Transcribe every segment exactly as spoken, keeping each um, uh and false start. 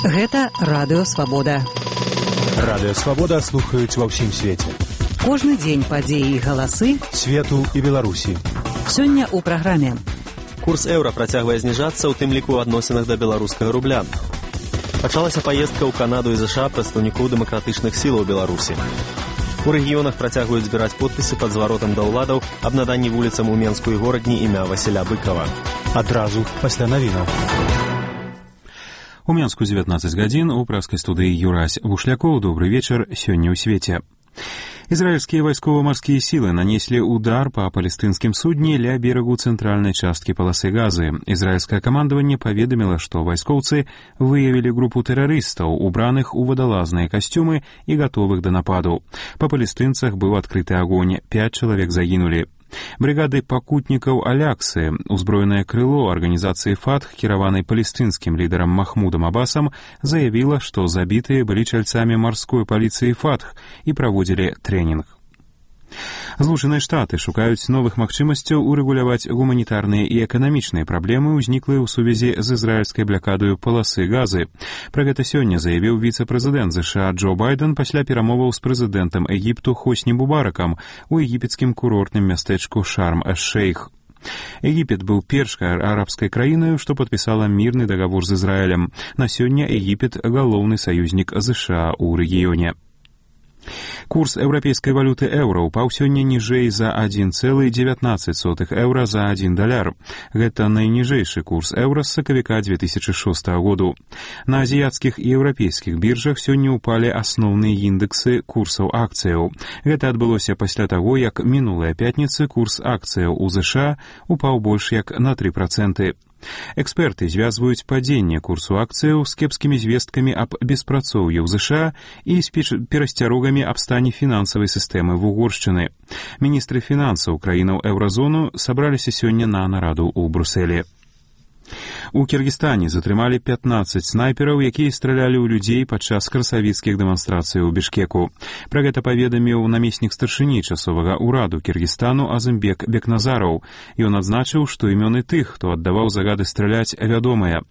Гэта Радыё Свабода. Радыё Свабода слухаюць ва ўсім свеце. Кожны дзень падзеі і галасы свету і Беларусі. Сёння ў праграме. Курс еўра працягвае зніжацца, у тым ліку ў адносінах да беларускага рубля. Пачалася паездка ў Канаду і ЗША прадстаўнікоў дэмакратычных сілаў Беларусі. У рэгіёнах працягваюць збіраць подпісы пад зваротам да ўладаў аб наданні вуліцам у Менску і горадні імя Васіля Быкава. Адразу пасля навінаў. У Менску дзевятнаццаць гадзін, у праскай студыі Юрась Бушлякоў. Добры вечар, сёння ў свеце. Израильские вайскова-марские силы нанесли удар по палестинским судне ля берегу центральной частки полосы Газы. Израильское командование поведомило, что вайскоўцы выявили группу террористов, убранных у водолазные костюмы и готовых до нападу. По палестинцах был открытый огонь, пять человек загинули. Бригады пакутнікаў Аляксы, узброенае крыло арганізацыі Фатх, кіраванай палестынскім лідарам Махмудам Абасам, заявіла, што забітыя былі чальцамі марской паліцыі Фатх і праводзілі трэнінг. Злучаныя Штаты шукаюць новых магчымасцяў урэгуляваць гуманітарныя і эканамічныя праблемы, узніклыя ў сувязі з ізраільскай блакадаю паласы Газы. Пра гэта сёння заявіў віцэ-прэзідэнт ЗША Джо Байден пасля перамоваў з прэзідэнтам Егіпту Хосні Мубаракам у егіпецкім курортным мястэчку Шарм-эш-Шейх. Егіпет быў першай арабскай краінаю, што падпісала мірны дагавор з Ізраілем. На сёння Егіпет галоўны саюзнік ЗША ў рэгіёне. Курс еўрапейскай валюты еўра упаў сёння ніжэй за адзін цэлых дзевятнаццаць сотых еўра за адзін даляр. Гэта найніжэйшы курс еўра з сакавіка дзве тысячы шостага году. На азіяцкіх і еўрапейскіх біржах сёння ўпалі асноўныя індэксы курсаў акцыяў. Гэта адбылося пасля таго, як мінулая пятніца курс акцыяў у ЗША упаў больш як на тры працэнты. Эксперты звязваюць падзенне курсу акцыяў з кепскімі звесткамі аб беспрацоўі ў ЗША і з перасцярогамі аб стане фінансавай сістэмы вугоршчыны. Міністры фінансаў краінаў еўразону сабраліся сёння на нараду ў Брусэлі. У Кіргізстане затрымалі пятнаццаць снайпераў, якія стралялі ў людзей падчас красавіцкіх дэманстрацый у Бішкеку. Пра гэта паведаміў намеснік старшыні часовага ўраду Кіргізстану Азымбек Бекназараў. Ён адзначыў, што імёны тых, хто аддаваў загады страляць, вядомыя.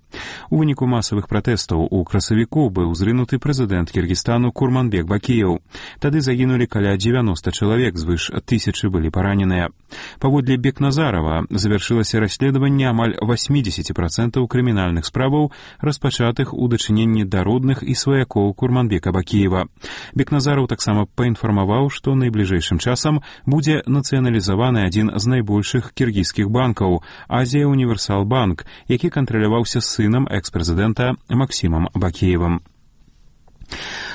У выніку масавых пратэстаў у красавіку быў зрынуты прэзідэнт Кіргізстану Курманбек Бакіеў. Тады загінулі каля дзевяноста чалавек, звыш тысячы былі параненыя. Паводле Бекназарава завяршылася расследаванне амаль восемьдесят процентов крымінальных справаў, распачатых у дачыненні да родных і сваякоў Курманбека Бакіева. Бекназараў таксама паінфармаваў, што найбліжэйшым часам будзе нацыяналізаваны адзін з найбольшых кіргізскіх банкаў – Азія Універсал Банк, які кантраляваўся сынам экс-прэзідэнта Максімам Бакіевым.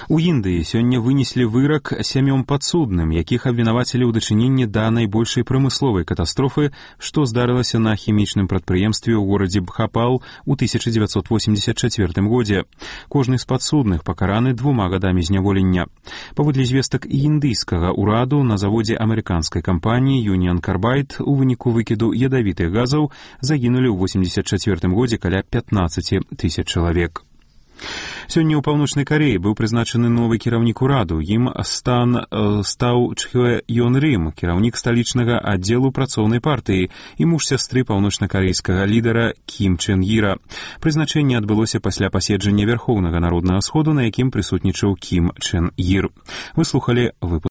У Індыі сёння вынеслі вырак сямём падсудным, якіх абвінавацілі ў дачыненні да найбольшай прамысловай катастрофы, што здарылася на хімічным прадпрыемстве ў горадзе Бхапал у тысяча дзевяцьсот восемьдесят чацвёртым годзе. Кожны з падсудных пакараны двума гадамі зняволення. Паводле звестак індыйскага ўраду, на заводзе амерыканскай кампаніі Union Carbide у выніку выкіду ядавітых газаў загінулі ў восемьдесят чацвёртым годзе каля пятнаццаць тысяч чалавек. Сёння ў Паўночнай Кареі быў прызначаны новы кіраўнік ураду. Ім стан э, стаў Чхве Ён Рым, кіраўнік сталічнага аддзелу працоўнай партыі і муж сястры паўночнакарэйскага лідара Кім Чен Іра. Прызначэнне адбылося пасля паседжання Вярхоўнага народнага сходу, на якім прысутнічаў Кім Чен Ір. Вы слухалі выпуск